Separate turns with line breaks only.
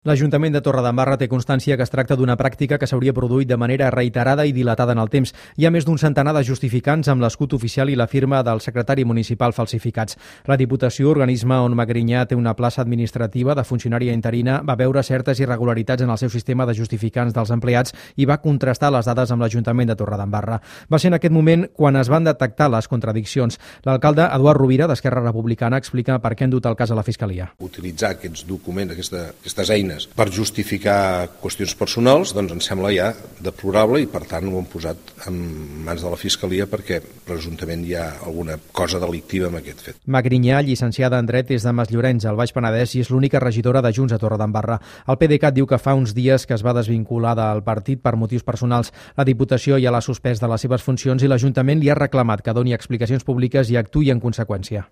L'Ajuntament de Torredembarra té constància que es tracta d'una pràctica que s'hauria produït de manera reiterada i dilatada en el temps. Hi ha més d'un centenar de justificants amb l'escut oficial i la firma del secretari municipal falsificats. La Diputació, organisme on Magrinyà té una plaça administrativa de funcionària interina, va veure certes irregularitats en el seu sistema de justificants dels empleats i va contrastar les dades amb l'Ajuntament de Torredembarra. Va ser en aquest moment quan es van detectar les contradiccions. L'alcalde Eduard Rovira, d'Esquerra Republicana, explica per què han dut el cas a la Fiscalia.
Utilitzar aquests documents, aquestes eines per justificar qüestions personals, doncs ens sembla ja deplorable i per tant ho hem posat en mans de la Fiscalia perquè presumptament hi ha alguna cosa delictiva amb aquest fet.
Magrinyà, llicenciada en Dret, és de Masllorenç, al Baix Penedès, i és l'única regidora de Junts a Torredembarra. El PDeCAT diu que fa uns dies que es va desvincular del partit per motius personals. La Diputació ja l'ha suspès de les seves funcions i l'Ajuntament li ha reclamat que doni explicacions públiques i actuï en conseqüència.